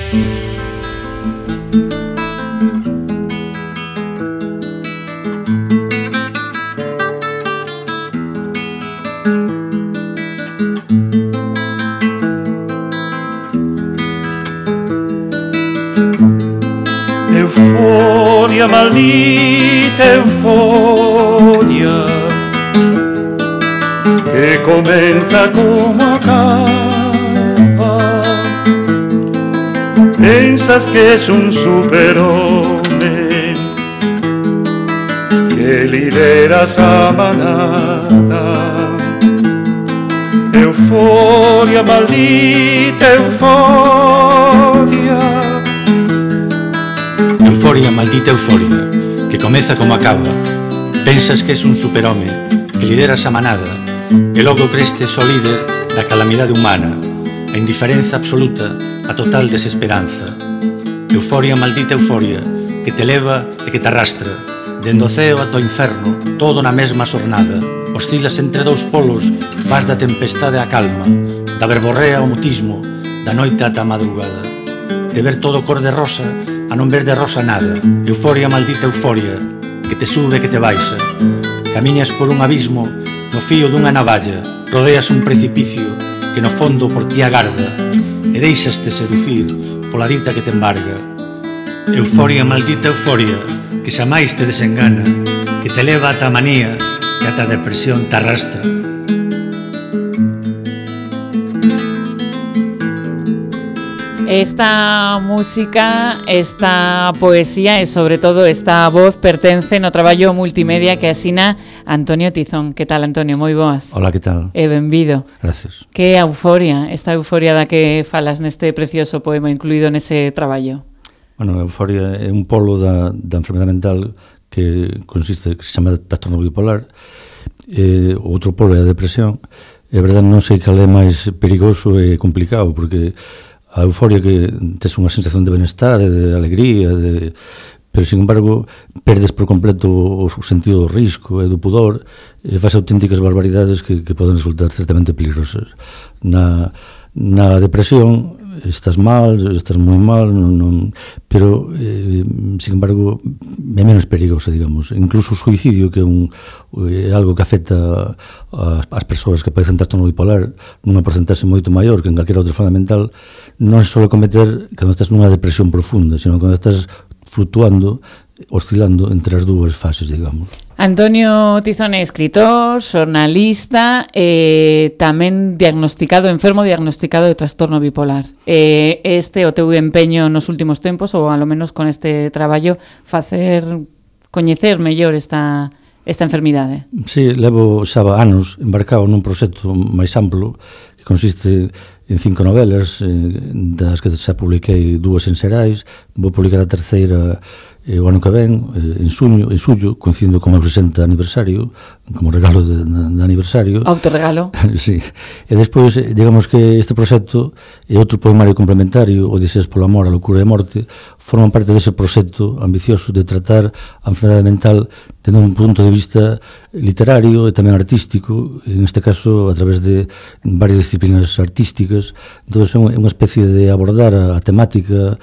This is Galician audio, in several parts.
Euforia, maldita euforia, que comienza como acaba. Piensas que es un superhombre, que lideras a manada. Euforia, maldita euforia. Euforia, maldita euforia, que comeza como acaba. Pensas que és un superhome, que lideras a manada, e logo creste só líder da calamidade humana, a indiferenza absoluta, a total desesperanza. Euforia, maldita euforia, que te leva e que te arrastra, dende o ceo ata o inferno, todo na mesma xornada. Oscilas entre dous polos, vas da tempestade á calma, da verborrea ao mutismo, da noite ata a madrugada. De ver todo cor de rosa a non ver de rosa nada. Euforia, maldita euforia, que te sube e que te baixa. Camiñas por un abismo no fío dunha navalla, rodeas un precipicio que no fondo por ti agarda e deixaste seducir pola dita que te embarga. Euforia, maldita euforia, que xamais te desengana, que te leva ata a manía, que ata a depresión te arrastra. Esta música, esta poesía e sobre todo esta voz pertence no traballo multimedia que asina Antonio Tizón. Que tal, Antonio? Moi boas. Hola, que tal? E benvido. Gracias. Que euforia, esta euforia da que falas neste precioso poema incluído nese traballo. Bueno, a euforia é un polo da enfermedade mental que consiste, que se chama trastorno bipolar. O outro polo é a depresión. E a verdade non sei cal é máis perigoso e complicado, porque a euforia que tes unha sensación de benestar e de alegría, pero, sin embargo, perdes por completo o sentido do risco e do pudor e faz auténticas barbaridades que poden resultar certamente peligrosas. Na depresión estás mal, estás moi mal, pero, sin embargo, é menos perigosa, digamos. Incluso o suicidio, que é algo que afecta as persoas que padecen trastorno bipolar nunha porcentaxe moito maior que en calquera outra forma mental, non se suele cometer cando estás nunha depresión profunda, sino cando estás flutuando, oscilando entre as dúas fases, digamos. Antonio Tizón é escritor, xornalista e tamén enfermo diagnosticado de trastorno bipolar. Este o teu empeño nos últimos tempos, ou alo menos con este traballo, coñecer mellor esta enfermidade. Sí, levo xa anos embarcado nun proxecto máis amplo que consiste en 5 novelas, das que xa publiquei 2 en Xerais, vou publicar a terceira o ano que ven, en xullo, coincidindo con o 60 aniversario, como regalo de aniversario. Autorregalo. Sí. E despois, digamos que este proxecto e outro poemario complementario, Odiseas polo amor, a loucura e a morte, forman parte dese proxecto ambicioso de tratar a enfermedade mental dende un punto de vista literario e tamén artístico, en este caso a través de varias disciplinas artísticas. Entón é unha especie de abordar a temática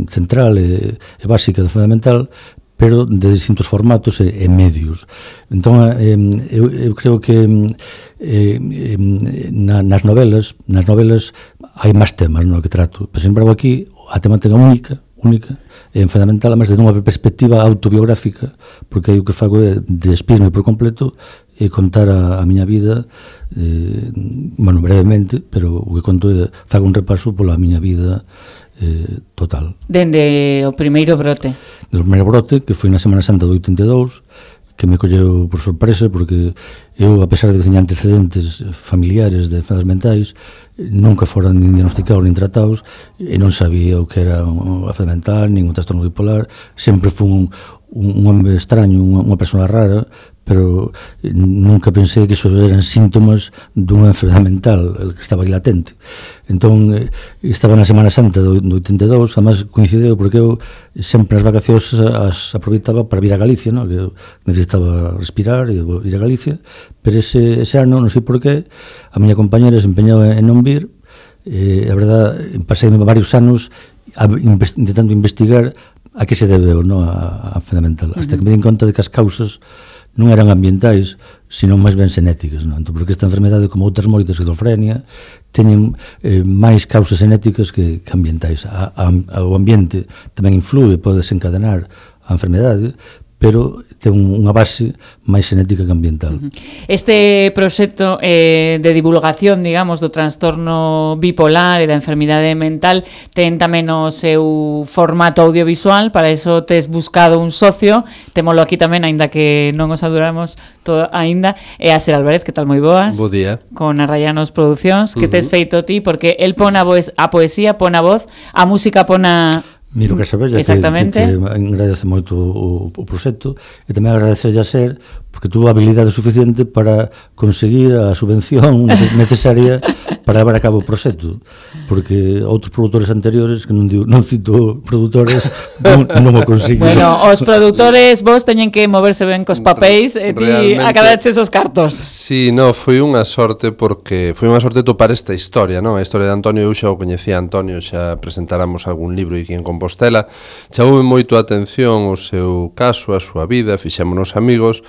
central e básica da enfermedade mental, pero de distintos formatos e medios. Entón, eu creo que nas novelas hai máis temas no que trato, pero, sin embargo, aquí a temática única é enfermedade mental, además de unha perspectiva autobiográfica, porque aí o que fago é despirme por completo e contar a miña vida, brevemente, pero o que conto é fago un repaso pola miña vida total. Dende o primeiro brote. Do primeiro brote, que foi na Semana Santa do 82, que me colleu por sorpresa, porque eu, a pesar de que teña antecedentes familiares de enfermedades mentais, nunca foran nin diagnosticados nin tratados, e non sabía o que era unha enfermedade mental, nin un trastorno bipolar. Sempre fui un home extraño, unha persona rara, pero nunca pensei que iso eran síntomas dunha enfermedade mental que estaba aí latente. Entón, estaba na Semana Santa do 82, además coincideu porque eu sempre as vacacións as aproveitaba para vir a Galicia, que eu necesitaba respirar e ir a Galicia, pero ese ano, non sei por qué, a miña compañera se empeñaba en non vir, A verdade, pasei varios anos intentando investigar a que se debeu, no, a fundamental, hasta que me din conta de que as causas non eran ambientais, sino máis ben xenéticas, non? Entón, porque esta enfermedade, como outras moitas, esquizofrenia, teñen máis causas xenéticas que ambientais. O ambiente tamén influe, pode desencadenar a enfermedade, pero ten unha base máis xenética que ambiental. Este proxecto de divulgación, digamos, do trastorno bipolar e da enfermidade mental ten tamén o seu formato audiovisual, para iso tes buscado un socio, témolo aquí tamén, aínda que non os adoramos aínda, é Aser Álvarez, que tal, moi boas? Bo día. Con Arrayanos Producións, que tes feito ti, porque el pon a poesía, pon a voz, a música pon a... Miro que Casabella, que agradece moito o proxecto, e tamén agradece a Ser, porque tuvo habilidade suficiente para conseguir a subvención necesaria para levar a cabo o proxecto, porque outros produtores anteriores, que non cito produtores, non o conseguiron. Bueno, os produtores vos teñen que moverse ben cos papéis e ti acadaches os cartos. Sí, no, foi unha sorte, porque foi unha sorte topar esta historia, non? A historia de Antonio, eu xa o coñecía a Antonio, xa presentáramos algún libro aquí en Compostela, chamoume moito a atención o seu caso, a súa vida, fixémonos amigos,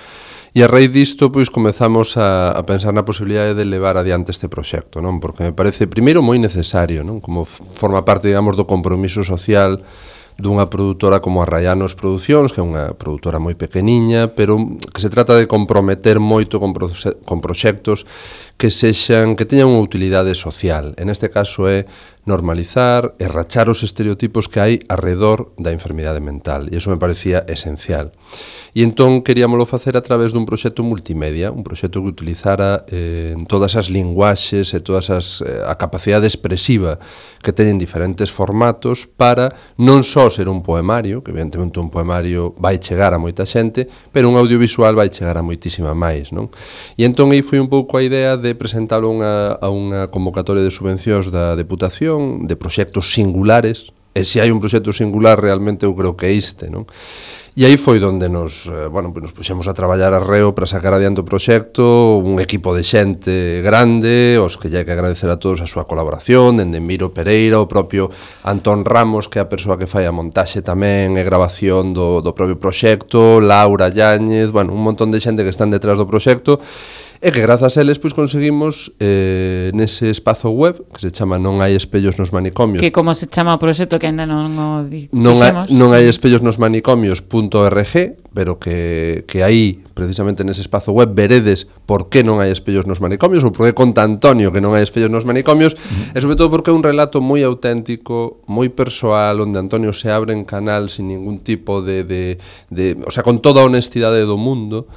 e a raíz disto, pois, comezamos a pensar na posibilidade de levar adiante este proxecto, non? Porque me parece, primeiro, moi necesario, non? Como forma parte, digamos, do compromiso social dunha produtora como Arrayanos Producións, que é unha produtora moi pequeniña, pero que se trata de comprometer moito con proxectos que teñan unha utilidade social. En este caso é normalizar e rachar os estereotipos que hai arredor da enfermidade mental, e iso me parecía esencial. E entón queríamolo facer a través dun proxecto multimedia, un proxecto que utilizara todas as linguaxes e todas a capacidade expresiva que teñen diferentes formatos para non só ser un poemario, que evidentemente un poemario vai chegar a moita xente, pero un audiovisual vai chegar a moitísima máis, non? E entón aí foi un pouco a idea de presentalo a unha convocatoria de subvencións da Deputación, de proxectos singulares, e se hai un proxecto singular realmente eu creo que é este, non? E aí foi onde nos puxemos a traballar a reo para sacar adiante o proxecto, un equipo de xente grande, os que lle hai que agradecer a todos a súa colaboración, dende Miro Pereira, o propio Antón Ramos, que é a persoa que fai a montaxe tamén e grabación do propio proxecto, Laura Yáñez, un montón de xente que están detrás do proxecto, e que grazas a eles pois conseguimos nese espazo web que se chama Non hai espellos nos manicomios. Que como se chama o proxecto que ainda non o dixemos? Non hai espellos nos manicomios.org, pero que aí, precisamente nese espazo web, veredes por que non hai espellos nos manicomios, ou por que conta Antonio que non hai espellos nos manicomios, e sobre todo porque é un relato moi auténtico, moi persoal, onde Antonio se abre en canal sin ningún tipo o sea, con toda a honestidade do mundo.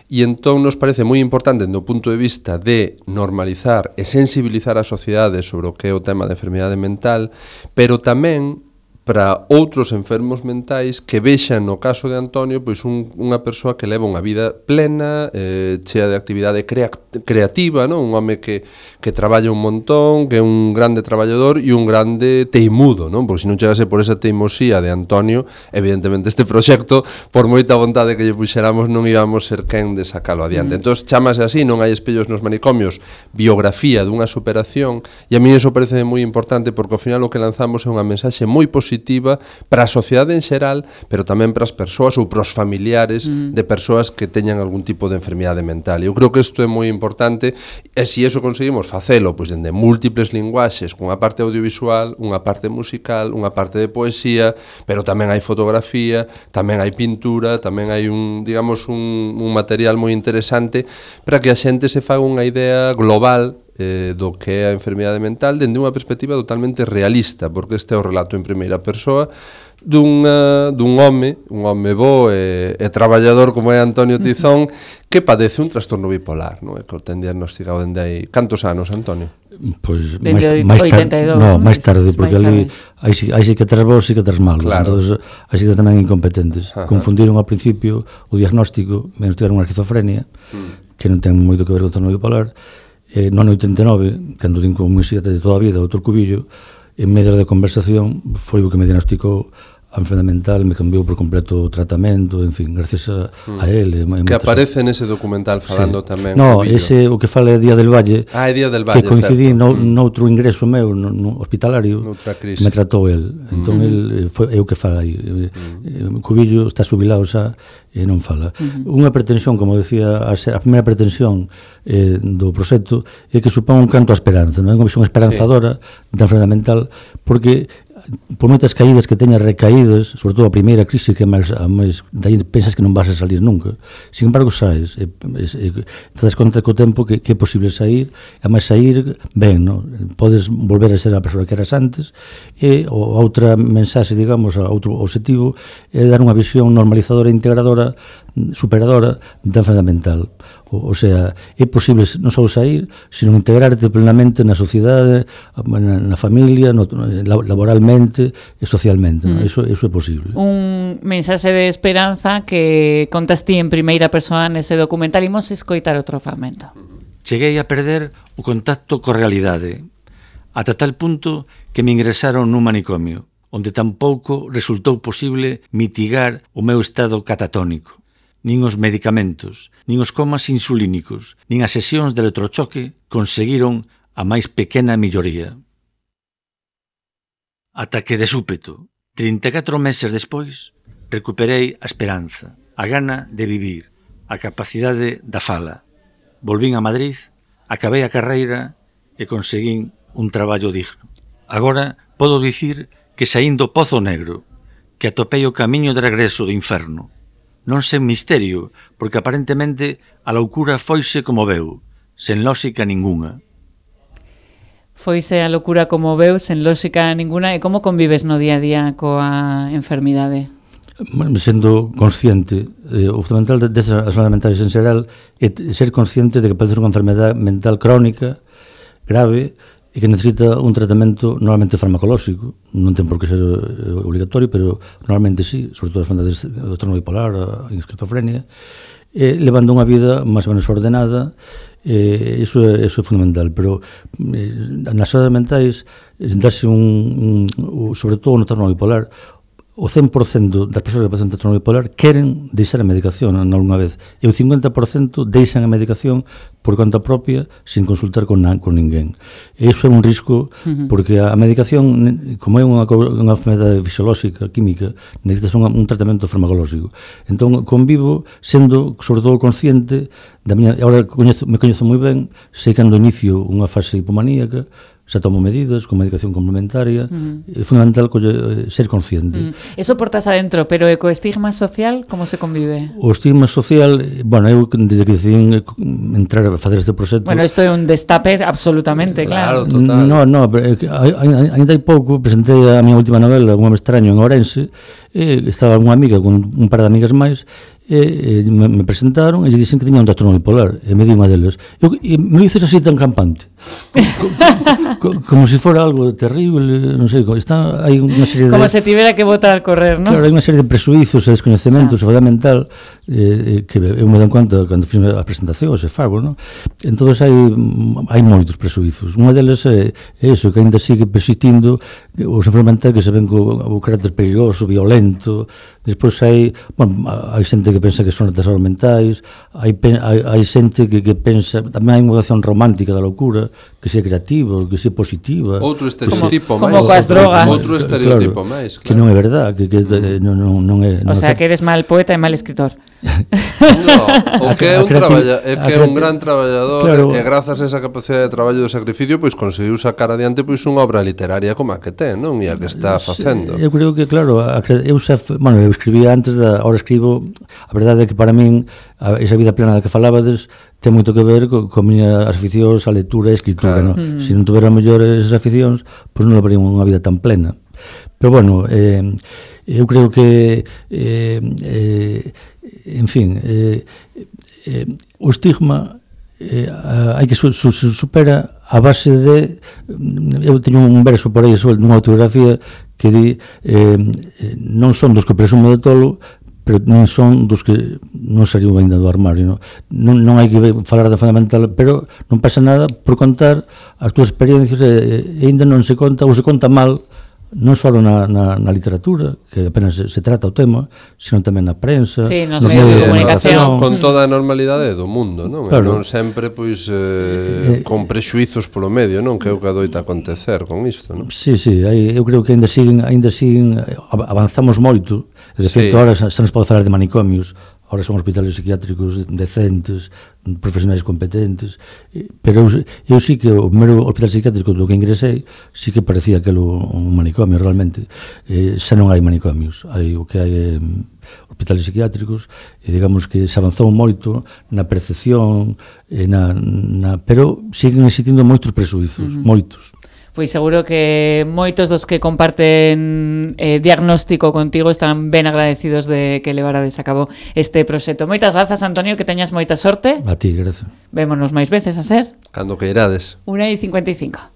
E entón nos parece moi importante do punto de vista de normalizar e sensibilizar a sociedade sobre o que é o tema da enfermidade mental, pero tamén para outros enfermos mentais que vexan no caso de Antonio pois unha persoa que leva unha vida plena, chea de actividade creativa, non? Un home que traballa un montón, que é un grande traballador e un grande teimudo, non? Porque se non chegase por esa teimosía de Antonio, evidentemente este proxecto, por moita vontade que lle puxéramos, non íbamos ser quen de sacalo adiante. Entón, chamase así, Non hai espellos nos manicomios, biografía dunha superación, e a mí iso parece moi importante porque ao final o que lanzamos é unha mensaxe moi positiva para a sociedade en xeral, pero tamén para as persoas ou para os familiares de persoas que teñan algún tipo de enfermidade mental. E eu creo que isto é moi importante, e se iso conseguimos facelo pois dende múltiples linguaxes, cunha parte audiovisual, unha parte musical, unha parte de poesía, pero tamén hai fotografía, tamén hai pintura, tamén hai un material moi interesante para que a xente se faga unha idea global do que é a enfermidade mental dende unha perspectiva totalmente realista, porque este é o relato en primeira persoa dun home bo e traballador como é Antonio Tizón, que padece un trastorno bipolar, non? Que o ten diagnosticado dende aí. Cantos anos, Antonio? Pois máis tarde, porque ali hai sí que tres bons e que tres malos, entón hai sí que tamén incompetentes. Confundiron ao principio o diagnóstico, menos tiveron unha esquizofrenia, que non ten moito que ver con o trastorno bipolar. No ano 89, cando din como música de toda a vida, outro cubillo, en medio de conversación foi o que me diagnosticou a enfermedade mental me cambiou por completo o tratamento, en fin, gracias a ele. Que aparece nese documental falando tamén. No, ese o que fala é Día del Valle. É Día del Valle, que coincidí noutro ingreso meu no hospitalario, me tratou el. Entón é o que fala aí. Cubillo está xubilado xa e non fala. Unha pretensión, como decía, a primeira pretensión do proxecto é que supón un canto á esperanza, non é unha visión esperanzadora da enfermedade mental, porque por moitas caídas que teñas recaídas, sobre todo a primeira crise que é máis daí pensas que non vas a salir nunca, sin embargo saes te das conta co tempo que é posible sair, e máis sair ben, no? Podes volver a ser a persoa que eras antes, e a outra mensaxe, digamos, a outro objetivo é dar unha visión normalizadora e integradora, superadora da enfermedade mental. O sea, é posible non só sair, sino integrarte plenamente na sociedade, na familia, laboralmente e socialmente. Eso é posible. Un mensaxe de esperanza que contas ti en primeira persoa nese documental. Imos escoitar outro fragmento. Cheguei a perder o contacto co realidade, ata tal punto que me ingresaron nun manicomio, onde tampouco resultou posible mitigar o meu estado catatónico. Nin os medicamentos, nin os comas insulínicos, nin as sesións de electrochoque conseguiron a máis pequena melloría. Ata que, de súpeto, 34 meses despois, recuperei a esperanza, a gana de vivir, a capacidade da fala. Volvín a Madrid, acabei a carreira e conseguín un traballo digno. Agora podo dicir que saín do pozo negro, que atopei o camiño de regreso do inferno. Non sen misterio, porque aparentemente a loucura foise como veu, sen lógica ninguna. Foise a loucura como veu, sen lógica ninguna. E como convives no día a día coa enfermidade? Sendo consciente, o fundamental desas enfermedades mentais en xeral é ser consciente de que pode ser unha enfermedade mental crónica, grave, e que necesita un tratamento normalmente farmacolóxico. Non ten por que ser obligatorio, pero normalmente sí, sobre todo as enfermedades do trastorno bipolar, a esquizofrenia, levando unha vida máis ou menos ordenada. Iso é fundamental, pero nas enfermedades mentais darse sobre todo no trastorno bipolar, o 100% das persoas que padecen trastorno bipolar queren deixar a medicación algunha vez, e o 50% deixan a medicación por conta propia sin consultar con ninguén. E iso é un risco, porque a medicación, como é unha enfermedade fisiolóxica, química, necesitas un tratamento farmacolóxico. Entón convivo sendo sobre todo consciente da miña, agora me coñezo moi ben, sei cando inicio unha fase hipomaníaca, xa tomo medidas con medicación complementaria. É fundamental ser consciente. Eso portas adentro, pero co estigma social, como se convive? O estigma social, bueno, eu desde que decidín entrar a facer este proxecto... Bueno, isto é un destape absolutamente, claro. Total. No, ainda hai pouco presentei a miña última novela, Un home extraño, en Ourense, e estaba unha amiga con un par de amigas máis, e me presentaron e lle dixen que tiña un trastorno bipolar, e me di unha deles, e me lo dices así tan campante, como se fora algo terrible, non sei, hai unha serie de... Como se tivera que botar a correr, non? Claro, hai unha serie de presuizos e descoñecementos sobre a mental que eu me dan conta cando fiz a presentación, se fago, non? Entón hai moitos presuizos. Unha deles é iso, que ainda sigue persistindo os enfermos mentais que se ven co carácter perigoso, violento. Despois hai xente que pensa que son retrasados mentais, hai xente que pensa, tamén hai unha vocación romántica da loucura, que sea creativa, que sea positiva. Outro estereotipo máis. Como coas drogas. Outro estereotipo máis. Que non é verdad, que non é... O sea, que eres mal poeta e mal escritor. O que é un gran traballador, e grazas a esa capacidade de traballo e de sacrificio, pois conseguiu sacar adiante pois unha obra literaria como a que ten, non? E a que está facendo. Eu creo que, claro, eu escribía antes, ahora escribo. A verdade é que para min esa vida plena da que falabades ten moito que ver con miñas aficións a lectura e a escritura, claro. Se non tuvera mellor esas aficións, pois non levaría unha vida tan plena. Pero bueno, eu creo que en fin, o estigma hai que supera a base de... Eu teño un verso por aí nunha autobiografía que di non son dos que presumo de tolo, pero non son dos que non saliu ainda do armario, non hai que falar de fundamental, pero non pasa nada por contar as túas experiencias, e ainda non se conta, ou se conta mal, non só na literatura, que apenas se trata o tema, sino tamén na prensa, Sí, nos nos medios de medios de comunicación. comunicación. Con toda a normalidade do mundo, non? Claro. E non sempre, pois, con prexuizos polo medio, non? Que é o que adoita acontecer con isto, non? Sí, eu creo que ainda siguen avanzamos moito. De feito, Sí. ahora xa nos pode falar de manicomios, ahora son hospitais psiquiátricos decentes, profesionais competentes, pero eu sí que o primeiro hospital psiquiátrico do que ingresei sí que parecía aquilo un manicomio realmente. Xa non hai manicomios, hai o que hai hospitais psiquiátricos, e digamos que se avanzou moito na percepción, pero siguen existindo moitos presuizos, moitos. Pois seguro que moitos dos que comparten diagnóstico contigo están ben agradecidos de que levarades a cabo este proxecto. Moitas grazas, Antonio, que teñas moita sorte. A ti, gracias. Vémonos máis veces a ser. Cando que irades. 1:55.